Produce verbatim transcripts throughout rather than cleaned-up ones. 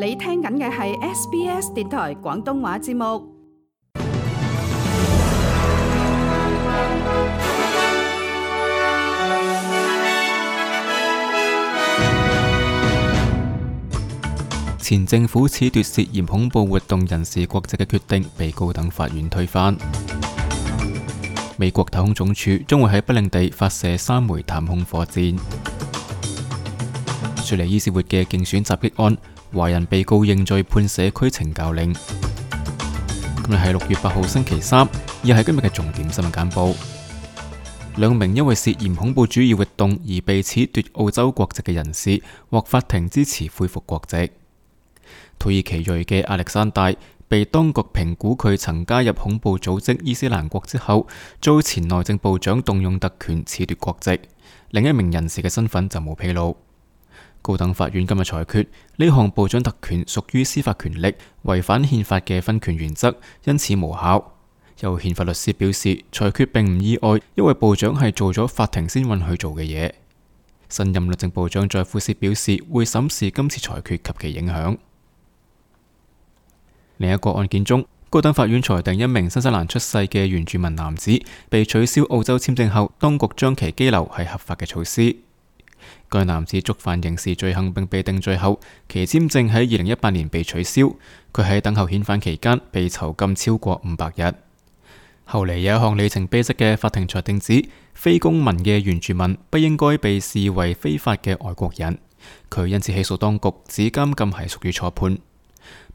你聽緊嘅係 S B S 電台廣東話節目。前政府褫奪涉嫌恐怖活動人士國籍嘅決定被高等法院推翻。美國太空總署將會喺不領地發射三枚探空火箭。雪梨伊士活嘅競選襲擊案，華人被告認罪判社區懲教令。今日係六月八號星期三，亦係今日嘅重點新聞簡報。兩名因為涉嫌恐怖主義活動而被褫奪澳洲國籍嘅人士獲法庭支持恢復國籍。土耳其裔嘅亞歷山大被當局評估佢曾加入恐怖組織伊斯蘭國之後，遭前內政部長動用特權褫奪國籍。另一名人士嘅身份就冇披露。高等法院今日裁決，呢項部長特權屬於司法權力，違反憲法嘅分權原則，因此無效。有憲法律師表示，裁決並唔意外，因為部長係做咗法庭先允許做嘅嘢。新任律政部長在夫斯表示，會審視今次裁決及其影響。另一個案件中，高等法院裁定一名新西蘭出世嘅原住民男子被取消澳洲簽證後，當局將其羈留係合法嘅措施。該男子觸犯刑事罪行並被定罪後，其簽證喺二零一八年被取消。佢喺等候遣返期間被囚禁超過五百日。後嚟有一項里程碑式嘅法庭裁定指，非公民嘅原住民不應該被視為非法嘅外國人。佢因此起訴當局，指監禁係屬於錯判。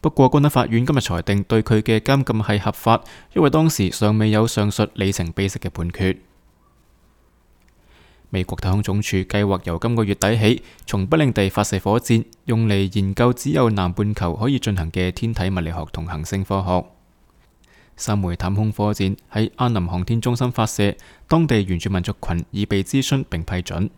不過，高等法院今日裁定對佢嘅監禁係合法，因為當時尚未有上述里程碑式嘅判決。美國太空總署計劃由今個月底起，從不領地發射火箭，用嚟研究只有南半球可以進行嘅天體物理學同行星科學。三枚探空火箭喺安林航天中心發射，當地原住民族群已被諮詢並批准。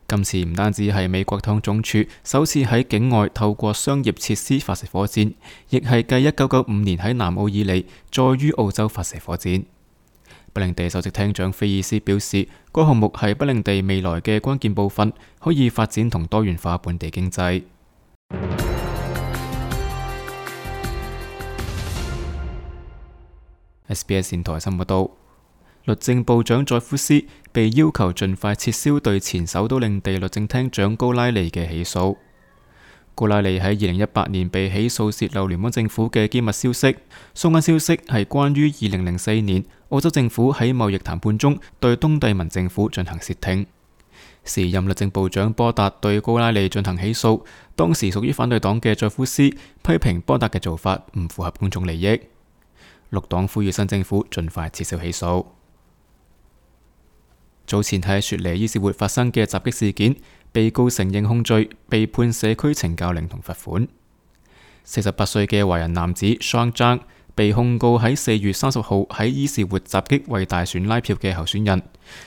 今次唔單止係美國太空總署首次喺境外透過商業設施發射火箭，亦係繼一九九五年喺南澳以嚟再於澳洲發射火箭。不領地首席廳長菲爾斯表示，該項目係不領地未來嘅關鍵部分，可以發展同多元化本地經濟。S B S 電台新聞報道，律政部長在夫斯被要求盡快撤銷對前首都領地律政廳長高拉利嘅起訴。高拉利喺二零一八年被起訴洩漏聯邦政府嘅機密消息，相關消息係關於二零零四年澳洲政府喺貿易談判中對東帝汶政府進行竊聽。時任律政部長波達對高拉利進行起訴，當時屬於反對黨嘅在夫斯批評波達嘅做法唔符合公眾利益。綠黨呼籲新政府盡快撤銷起訴。早前喺雪梨伊士活發生嘅襲擊事件，被告承認控罪，被判社區懲教令同罰款。四十八歲嘅華人男子 Sean Zhang 被控告喺四月三十號喺伊士活襲擊為大選拉票嘅候選人。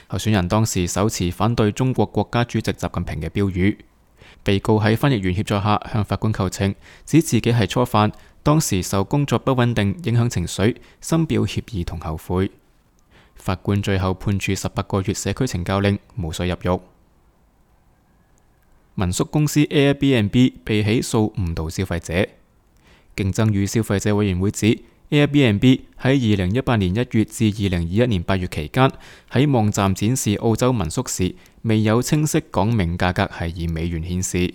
候選人當時手持反對中國國家主席習近平嘅標語。被告喺翻譯員協助下向法官求情，指自己係初犯，當時受工作不穩定影響情緒，深表歉意同後悔。法官最後判處十八個月社區懲教令，無需入獄。民宿公司 Airbnb 被起訴誤導消費者。競爭與消費者委員會指 Airbnb 喺二零一八年一月至二零二一年八月期間喺網站展示澳洲民宿時，未有清晰講明價格係以美元顯示。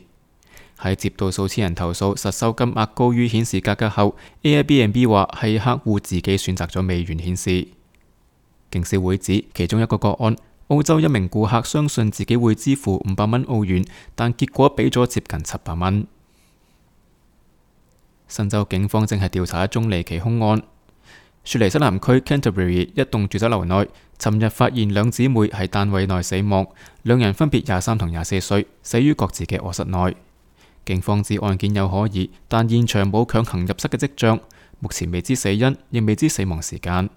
喺接到數千人投訴實收金額高於顯示價格後， Airbnb 話係客戶自己選擇咗美元顯示。競消會指其中一個個案，澳洲一名顧客相信自己會支付五百蚊澳元，但結果俾咗接近七百蚊。新州警方正係調查一宗離奇兇案。雪梨西南區 Canterbury 一棟住宅樓內，尋日發現兩姊妹喺單位內死亡，兩人分別廿三同廿四歲，死於各自嘅臥室內。警方指案件有可疑，但現場冇強行入室嘅跡象，目前未知死因，亦未知死亡時間。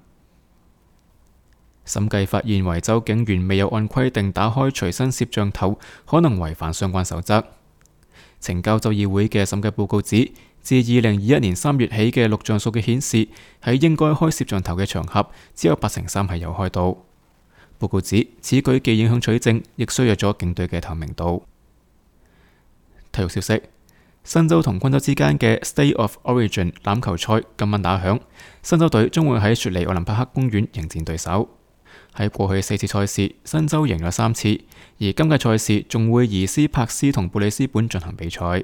審計發現維州警員未有按規定打開隨身攝像頭，可能違反相關守則。懲教州議會嘅審計報告指，自二零二一年三月起嘅錄像數據顯示，喺應該開攝像頭嘅場合，只有八成三係有開到。報告指，此舉既影響取證，亦削弱咗警隊嘅透明度。體育消息：新州同昆州之間嘅 State of Origin 欖球賽今晚打響，新州隊將會喺雪梨奧林匹克公園迎戰對手。喺過去四次賽事，新州贏咗三次，而今屆賽事仲會移師柏斯同布里斯本進行比賽。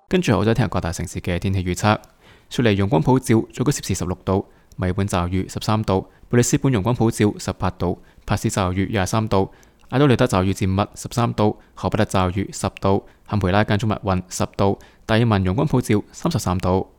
跟住我再聽下各大城市嘅天氣預測。雪梨陽光普照，最高攝氏十六度；墨爾本驟雨十三度；布里斯本陽光普照十八度；柏斯驟雨廿三度；阿德萊德驟雨漸密十三度；荷伯特驟雨十度；坎培拉間中密雲十度；達爾文陽光普照三十三度。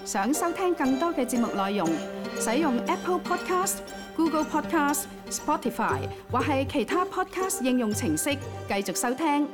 想收聽更多嘅節目內容，使用 Apple Podcast、Google Podcast、Spotify 或係其他 Podcast 應用程式繼續收聽。